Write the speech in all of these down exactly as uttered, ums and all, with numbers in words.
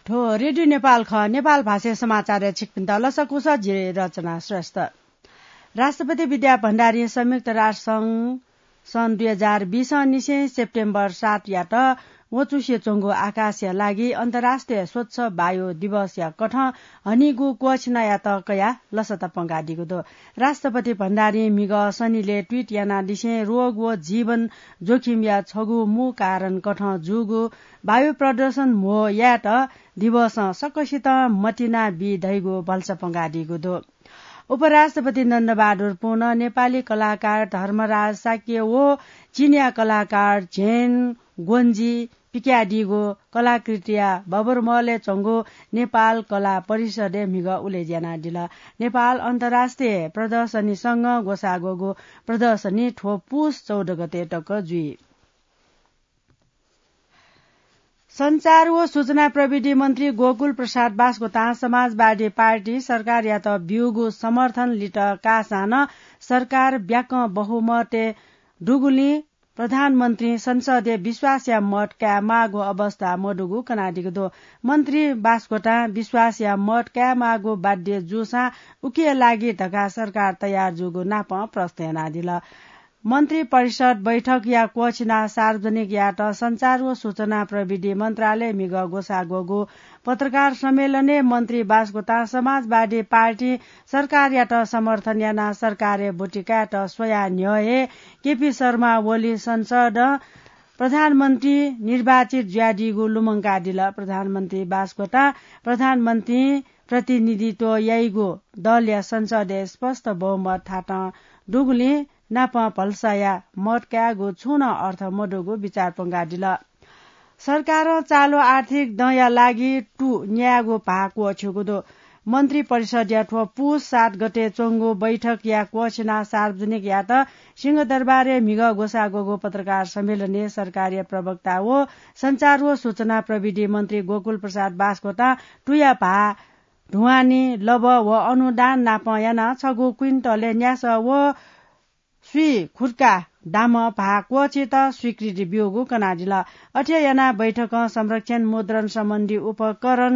थ्व रेडियो नेपाल खः। नेपाल भाषाय् समाचारय् छिकपिन्त लसकुस, जि रचना श्रेष्ठ। राष्ट्रपति विद्या भण्डारीं संयुक्त राष्ट्र संघ सन् दुई हजार बीस निसें सेप्टेम्बर सातयात वचुसे च्वंगु आकाशया लागि अन्तर्राष्ट्रिय स्वच्छ वायु दिवसया कथं हनीगु क्वःछिनायात कयाः लसता पंकादीगु दु। राष्ट्रपति भण्डारीं म्हिगः शनिले ट्वीट यानादिसें रोग व जीवन जोखिमया छगू मू कारण कथं जूगु वायु प्रदूषण म्हो यायेत दिवसं सकसितं मतिना बी धइगु भलसा पंकादीगु दु। उपराष्ट्रपति नन्दबहादुर पुन, नेपाली कलाकार धर्मराज शाक्य व चिनिया कलाकार झेन ग्वन्जी पिक्यादीगु कलाकृतिया बबरमहलय् च्वंगु नेपाल कला परिषदय् म्हिगः उलेज्या यानादिल। नेपाल अन्तर्राष्ट्रिय प्रदर्शनी संघं ग्वसाः ग्वःगु प्रदर्शनी थ्व पुस चौध गते तक जुइ। सञ्चार व सूचना प्रविधि मन्त्री गोकुल प्रसाद बास्कोटां समाजवादी पार्टी सरकारयात ब्यूगु समर्थन लित काःसां नं सरकार ब्याकं बहुमतय् दुगुलिं प्रधानमन्त्रीं संसदय् विश्वासया मत कायेमाःगु अवस्था मदुगु कनादीगु दु। मन्त्री बास्कोटां विश्वासया मत कायेमाःगु बाध्य जूसां उकिया लागि धकाः सरकार तयार जूगु नापं प्रश्न यानादिल। मन्त्री परिषद बैठकया क्वःछिनाः सार्वजनिक यायेत सञ्चार व सूचना प्रविधि मन्त्रालयय् म्हिगः ग्वसाः ग्वःगु पत्रकार सम्मेलनय् मन्त्री बास्कोटां समाजवादी पार्टी सरकारयात समर्थन यानाः सरकारय् ब्वति कायेत स्वयाः न्ह्यः हे केपी शर्मा ओली संसदं प्रधानमन्त्री निर्वाचित जुयादीगु लुमंकादिल। प्रधानमन्त्री बास्कोटां प्रधानमन्त्रीं प्रतिनिधित्व याइगु दलया संसदय् स्पष्ट बहुमत थातं दुगुलिं नापं भलसाया मत कायेगु छुं नं अर्थ मदुगु बिचाः पंकादिल। सरकारं चालु आर्थिक दँया लागि तु न्यायेगु भाः क्वःछ्यूगु दु। मन्त्री परिषदया थ्व पुस सात गते च्वंगु बैठकया क्वःछिनाः सार्वजनिक यायेत सिंहदरबारय् म्हिगः ग्वसाः ग्वःगु पत्रकार सम्मेलनय् सरकारया प्रवक्ता व सञ्चार व सूचना प्रविधि मन्त्री गोकुल प्रसाद बास्कोटां तुया भाः ढुवानी, लबः व अनुदान नापं यानाः छगू क्विन्टलय् न्यासः व स्वीखुर्का दामं भाः क्वःछित स्वीकृति ब्यूगु कनादिल। अथे यानाः बैठकं संरक्षण मुद्रण सम्बन्धी उपकरण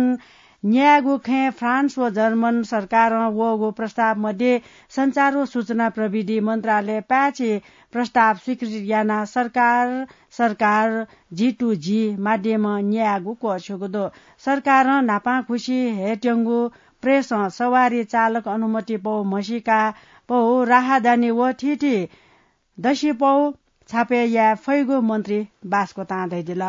न्यायेगु खँय् फ्रान्स व जर्मन सरकारं वःगु प्रस्ताव मध्ये सञ्चार व सूचना प्रविधि मन्त्रालयं पाय्छि प्रस्ताव स्वीकृति यानाः सरकार, सरकार G to G माध्यमं न्यायेगु क्वःछ्यूगु दु। सरकारं न्हापांखुसि हयेत्यंगु प्रेसं सवारी चालक अनुमति पौ म्हसीका पौ राहदानी व थीथी दसिपौ छापय् याये फइगु मन्त्री बास्कोटां धयादिल।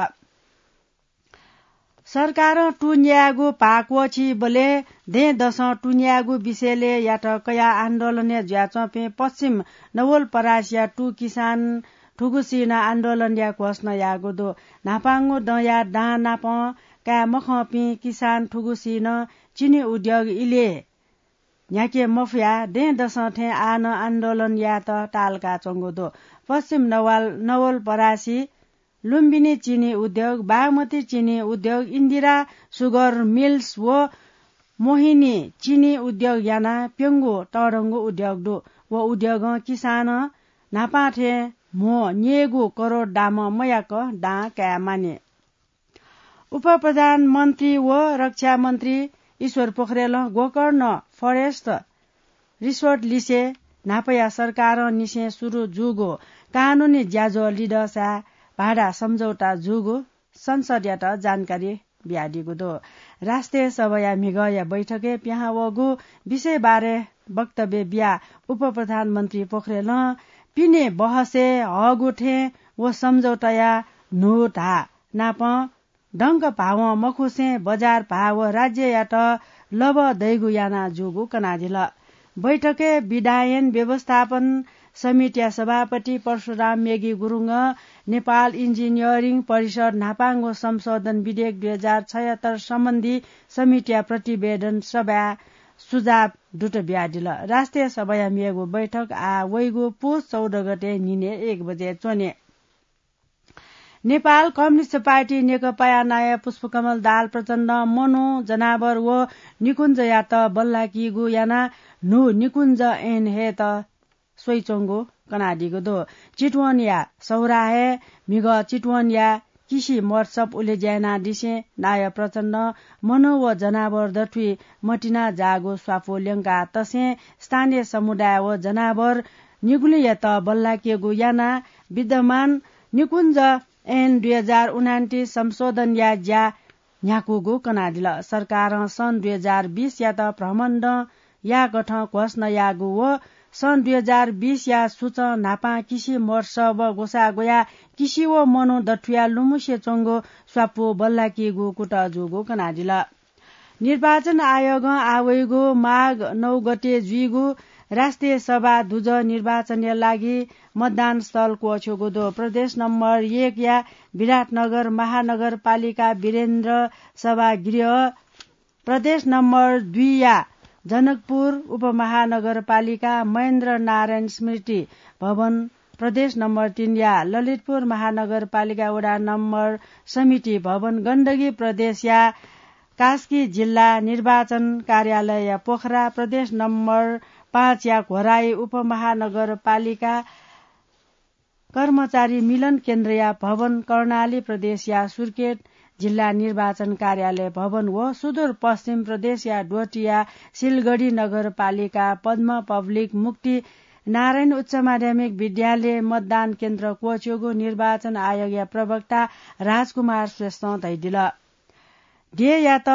सरकारं तु न्यायेगु भाः क्वःछीबलय् दँय्‌दसं तु न्यायेगु विषयलय् यात कयाः आन्दोलनय् जुयाच्वंपिं पश्चिम नवलपरासीया तु किसान थुगुसिनं आन्दोलनया घोषणा याःगु दु। न्हापांगु दँया दां नापं काये मखंपिं किसान थुगुसिनं चिनी उद्योग इलय् न्ह्याके मफयाः दँय्‌दसं थें आः नं आन्दोलन यायेत ताःलाकाच्वंगु दु। पश्चिम नवाल-, नवलपरासी लुम्बिनी चिनी उद्योग, बागमती चिनी उद्योग, इन्दिरा सुगर मिल्स व मोहिनी चिनी उद्योग यानाः प्यंगू तःधंगु उद्योग दु। व उद्योगं किसानं न्हापां थें म्हो न्यय्‌गू करोड दामं मयाक दां काये मानि। उपप्रधानमन्त्री व रक्षा मन्त्री ईश्वर पोखरेलं गोकर्ण फरेस्ट रिसोर्ट लिसे न्हापाया सरकारं निसें सुरु जूगु कानुनी ज्याझ्वः लिधःसा भाडा सम्झौता जूगु संसदयात जानकारी बियादीगु दु। राष्ट्रिय सभाया म्हिगःया बैठकय् पिहां वःगु विषय बारे वक्तव्य बियाः उपप्रधानमन्त्री पोखरेलं पिने बहसय् हःगु थें व सम्झौताया न्हू धाः नापं दंक भावं मखुसें बजार भाः व राज्ययात लबः दइगु याना जूगु कनादिल। बैठकय् विधायन व्यवस्थापन समितिया सभापति परशुराम मेगी गुरुङं नेपाल इन्जिनियरिङ परिषद न्हापांगु संशोधन विधेयक दुई हजार छयहत्तर सम्बन्धी समितिया प्रतिवेदन सभाय् सुझाव दुत बियादिल। राष्ट्रिय सभाया मेगु बैठक आः वइगु पुस चौध गते न्हिनय् एक बजे च्वने। नेपाल कम्युनिस्ट पार्टी नेकपाया नायः पुष्पकमल दाहाल प्रचण्डं मनू, जनावर व निकुञ्जयात बल्लाकीगु यानाः न्हू निकुञ्ज ऐन हयेत स्वइच्वंगु कनादीगु दु। चितवनया सौराहय् म्हिगः चितवनया किसि महोत्सव उलेज्यानादिसें नायः प्रचण्डं मनू व जनावर दथुइ मतिना जाःगु स्वापू ल्यंका तसें स्थानीय समुदाय व जनावर निगुलिंयात बल्लाकेगु यानाः विद्यमान निकुञ्ज ऐन दुई हजार उनान्तिस संशोधनया ज्या न्ह्याकूगु कनादिल। सरकारं सन् दुई हजार बिसयात भ्रमणदँ याःकथं घोषणा याःगु व सन् दुई हजार बिसया सुचं न्हापां किसि महोत्सव ग्वसाः ग्वयाः किसि व मनू दथुया लुमुसे च्वंगु स्वापू बल्लाकीगु कुतः जूगु कनादिल। निर्वाचन आयोगं आवइगु माघ नौ गते जुइगु राष्ट्रिय सभा दुजः निर्वाचनया लागि मतदान स्थल क्वःछ्यूगु दु। प्रदेश नम्बर एकया विराटनगर महानगरपालिका वीरेन्द्र सभागृह, प्रदेश नम्बर दुईया जनकपुर उपमहानगरपालिका महेन्द्र नारायण स्मृति भवन, प्रदेश नम्बर तीनया ललितपुर महानगरपालिका वडा नम्बर समिति भवन, गण्डकी प्रदेशया कास्की जिल्ला निर्वाचन कार्यालय पोखरा, प्रदेश नम्बर पाँचया घोराई उपमहानगरपालिका कर्मचारी मिलन केन्द्रया भवन, कर्णाली प्रदेशया सुर्खेत जिल्ला निर्वाचन कार्यालय भवन व सुदूर पश्चिम प्रदेशया डोटीया सिलगढी नगरपालिका पद्म पब्लिक मुक्ति नारायण उच्च माध्यमिक विद्यालय मतदान केन्द्र क्वःछ्यूगु निर्वाचन आयोगया प्रवक्ता राजकुमार श्रेष्ठं धयादिल। देय्‌यात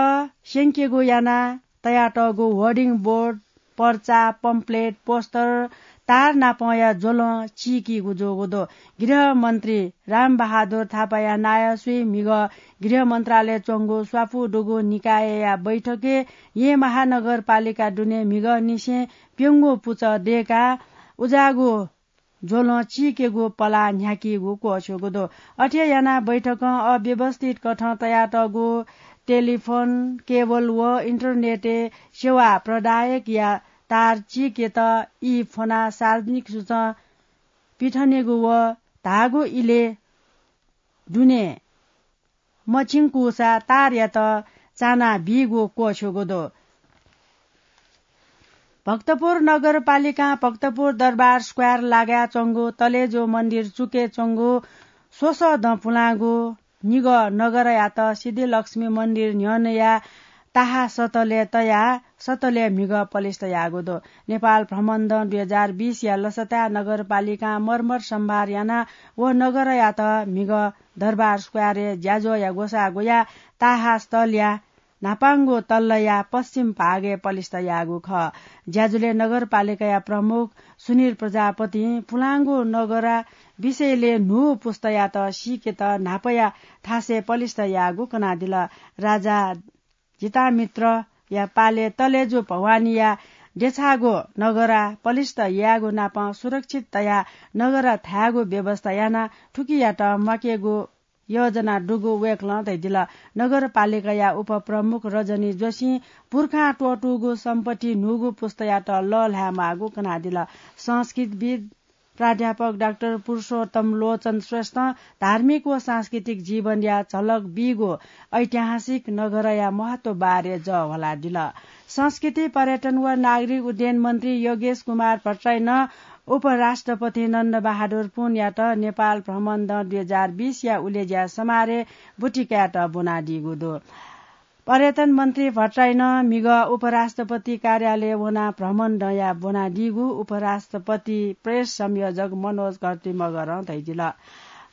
स्यंकेगु यानाः तयातःगु होर्डिङ बोर्ड, पर्चा, पम्पलेट, पोस्टर, तार नापंया ज्वलं चीकीगु जूगु दु। गृहमन्त्री रामबहादुर थापाया नायःसुइ म्हिगः गृह मन्त्रालय च्वंगु स्वापू दुगु निकायया बैठकय् येँ महानगरपालिका दुने म्हिगःनिसें प्यंगू पुचः दय्‌काः उज्याःगु ज्वलं चीकेगु पलाः न्ह्याकीगु क्वःछ्यूगु दु। अथे यानाः बैठकं अव्यवस्थित कथं तयातःगु टेलिफोन, केबल व इन्टरनेटय् सेवा प्रदायकया तार चीकेत ई फ्वनाः सार्वजनिक सुचं पिथनेगु व धाःगु इलय् दुने मछिंकूसा तारयात चाना बीगु क्वःछ्यूगु दु। भक्तपुर नगरपालिकां भक्तपुर दरबार स्क्वायर लागाय् च्वंगु तलेजु मन्दिर चुकय् च्वंगु स्वसः दँ पुलांगु म्हिगः नगरयात सिद्धिलक्ष्मी मन्दिर न्ह्यःनया ताहा सतलय् तयाः सतलय् म्हिगः पलिस्था याःगु दु। नेपाल भ्रमणदँ दुई हजार बिसया लसताय् नगरपालिकां मर्मर सम्भार यानाः व नगरयात म्हिगः दरबार स्क्वायरय् ज्याझ्वःया ग्वसाः ग्वयाः ताहा स्थलया न्हापांगु तल्लया पश्चिम भागय् पलिस्था याःगु खः। ज्याझ्वलय् नगरपालिकाया प्रमुख सुनिल प्रजापतिं पुलांगु नगरा विषयलय् न्हू पुस्तायात सीकेत न्हापाया थासय् पलिस्था याःगु कनादिल। राजा जितामित्रया पालय् तलेजु भवानीया देछाःगु नगरा पलिस्था यायेगु नापं सुरक्षित तयाः नगरा थायेगु व्यवस्था यानाः थुकियात म्वाकेगु योजना दुगु वय्‌कलं धयादिल। नगरपालिकाया उपप्रमुख रजनी जोशीं पुर्खां त्वःतूगु सम्पत्ति न्हूगु पुस्तायात लःल्हायेमाःगु कनादिल। संस्कृतविद् प्राध्यापक डाक्टर पुरुषोत्तम लोचन श्रेष्ठं धार्मिक व सांस्कृतिक जीवनया झलक बीगु ऐतिहासिक नगरया महत्व बारे जः ह्वलादिल। संस्कृति, पर्यटन व नागरिक उड्डयन मन्त्री योगेश कुमार भट्टराईं उपराष्ट्रपति नन्द बहादुर पुनयात नेपाल भ्रमणदँ दुई हजार बिसया उलेज्या समारोहय् बुँति कायेत ब्वनादीगु दु। पर्यटन मन्त्री भट्टराईं म्हिगः उपराष्ट्रपति कार्यालय वनाः भ्रमणदँया ब्वनादीगु उपराष्ट्रपति प्रेस संयोजक मनोज घरती मगरं धयादिल।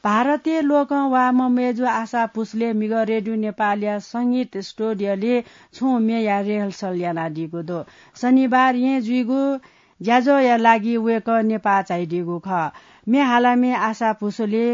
भारतीय लोकं वा ममेजु आशा भुसले म्हिगः रेडियो नेपालया संगीत स्टुडियोलय् छुं म्येया रिहर्सल यानादीगु दु। शनिबार येँ जुइगु ज्याझ्वःया लागि वय्‌कः नेपाः झाइदीगु खः। म्ये हालाम्ह आशा भुसले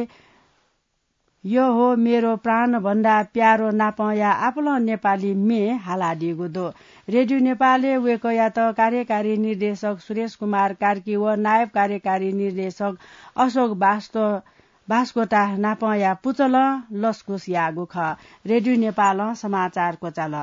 यो हो मेरो प्राणभन्दा प्यारो नापंया आपालं नेपाली म्ये हालादीगु दु। रेडियो नेपालय् वय्‌कःयात कार्यकारी निर्देशक सुरेश कुमार कार्की व नायब कार्यकारी निर्देशक अशोक बास्तो-, बास्कोटा नापंया पुचलं लसकुस याःगु खः। रेडियो नेपालं समाचार क्वचाल।